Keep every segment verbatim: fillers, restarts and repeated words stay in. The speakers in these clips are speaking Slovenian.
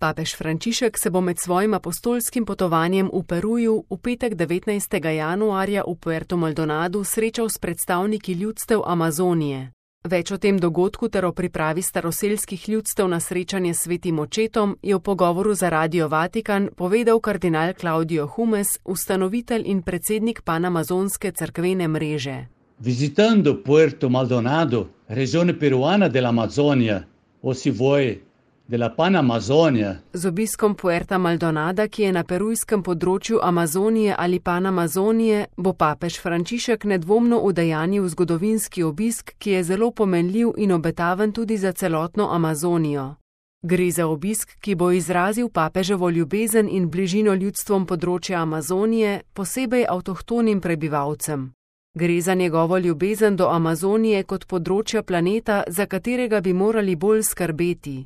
Papež Frančišek se bo med svojim apostolskim potovanjem v Peruju v petek devetnajstega januarja v Puerto Maldonadu srečal s predstavniki ljudstev Amazonije. Več o tem dogodku ter o pripravi staroselskih ljudstev na srečanje s svetim očetom je v pogovoru za Radio Vatikan povedal kardinal Claudio Humes, ustanovitelj in predsednik panamazonske cerkvene mreže. Visitando Puerto Maldonado, regione peruana dell'Amazzonia, o si vuoi della Panamazonija. Z obiskom Puerta Maldonada, ki je na perujskem področju Amazonije ali Panamazonije, bo papež Frančišek nedvomno udejanil zgodovinski obisk, ki je zelo pomenljiv in obetaven tudi za celotno Amazonijo. Gre za obisk, ki bo izrazil papeževo ljubezen in bližino ljudstvom področja Amazonije, posebej avtohtonim prebivalcem. Gre za njegovo ljubezen do Amazonije kot področja planeta, za katerega bi morali bolj skrbeti.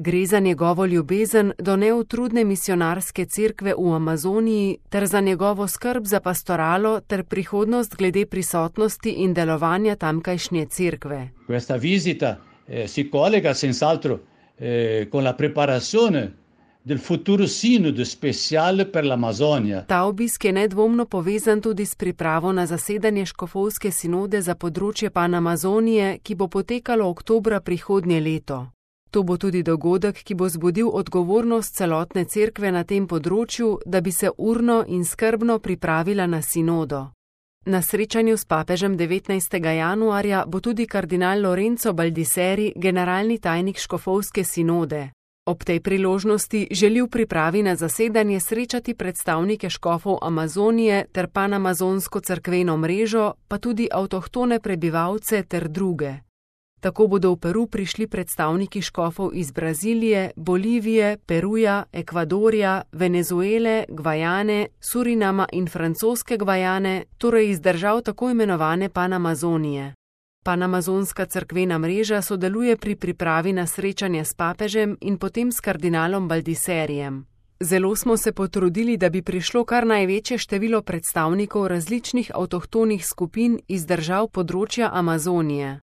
Gre za njegovo ljubezen do neutrudne misionarske cerkve v Amazoniji ter za njegovo skrb za pastoralo ter prihodnost glede prisotnosti in delovanja tamkajšnje cerkve. Questa visita eh, si collega senz'altro eh, con la preparazione del futuro sinodo speciale per l'Amazonija. Ta obisk je nedvomno povezan tudi s pripravo na zasedanje škofovske sinode za področje Panamazonije, ki bo potekalo oktobra prihodnje leto. To bo tudi dogodek, ki bo zbudil odgovornost celotne cerkve na tem področju, da bi se urno in skrbno pripravila na sinodo. Na srečanju s papežem devetnajstega januarja bo tudi kardinal Lorenzo Baldisseri, generalni tajnik škofovske sinode. Ob tej priložnosti želi v pripravi na zasedanje srečati predstavnike škofov Amazonije ter panamazonsko cerkveno mrežo, pa tudi avtohtone prebivalce ter druge. Tako bodo v Peru prišli predstavniki škofov iz Brazilije, Bolivije, Peruja, Ekvadorja, Venezuele, Gvajane, Surinama in francoske Gvajane, torej iz držav tako imenovane Panamazonije. Panamazonska cerkvena mreža sodeluje pri pripravi na srečanje s papežem in potem s kardinalom Baldisserijem. Zelo smo se potrudili, da bi prišlo kar največje število predstavnikov različnih avtohtonih skupin iz držav področja Amazonije.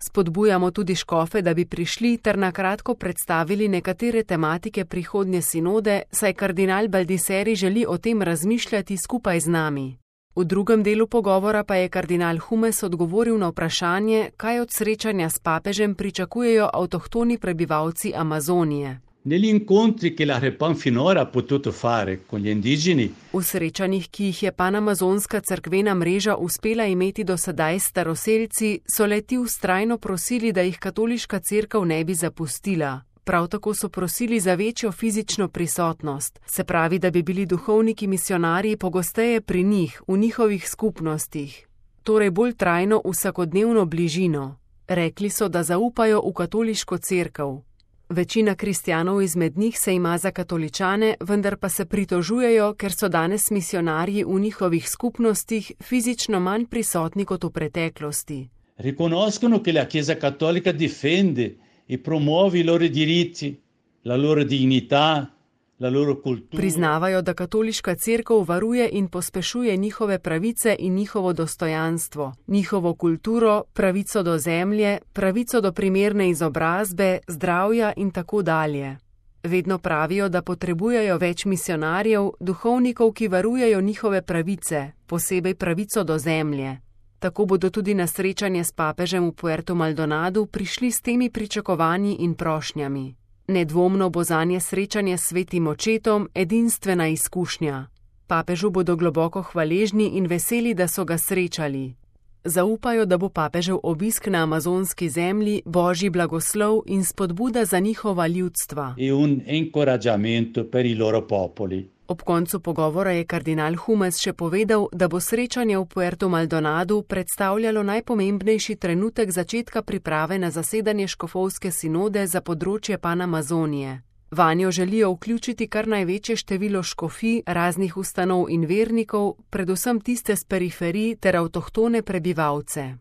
Spodbujamo tudi škofe, da bi prišli ter na kratko predstavili nekatere tematike prihodnje sinode, saj kardinal Baldisseri želi o tem razmišljati skupaj z nami. V drugem delu pogovora pa je kardinal Humes odgovoril na vprašanje, kaj od srečanja s papežem pričakujejo avtohtoni prebivalci Amazonije. Negli incontri che la Repan finora ha potuto fare con gli indigeni. V srečanjih, ki jih je panamazonska cerkvena mreža uspela imeti do sedaj s staroselci, so le-ti vztrajno prosili, da jih katoliška cerkev ne bi zapustila. Prav tako so prosili za večjo fizično prisotnost, se pravi, da bi bili duhovniki misionarji pogosteje pri njih, v njihovih skupnostih. Torej bolj trajno vsakodnevno bližino. Rekli so, da zaupajo v katoliško cerkev. Večina kristjanov izmed njih se ima za katoličane, vendar pa se pritožujejo, ker so danes misionarji v njihovih skupnostih fizično manj prisotni kot v preteklosti. Riconoscono che la Chiesa Cattolica difende e promuove i loro diritti, la loro dignità, la loro cultura. Priznavajo, da katoliška cerkev varuje in pospešuje njihove pravice in njihovo dostojanstvo, njihovo kulturo, pravico do zemlje, pravico do primerne izobrazbe, zdravja in tako dalje. Vedno pravijo, da potrebujejo več misionarjev, duhovnikov, ki varujejo njihove pravice, posebej pravico do zemlje. Tako bodo tudi na srečanje s papežem v Puerto Maldonadu prišli s temi pričakovanji in prošnjami. Nedvomno bo zanje srečanje s svetim očetom edinstvena izkušnja. Papežu bodo globoko hvaležni in veseli, da so ga srečali. Zaupajo, da bo papežev obisk na amazonski zemlji božji blagoslov in spodbuda za njihova ljudstva. E un incoraggiamento per i loro popoli. Ob koncu pogovora je kardinal Humes še povedal, da bo srečanje v Puerto Maldonadu predstavljalo najpomembnejši trenutek začetka priprave na zasedanje škofovske sinode za področje Panamazonije. Vanjo želijo vključiti kar največje število škofij, raznih ustanov in vernikov, predvsem tiste s periferij ter avtohtone prebivalce.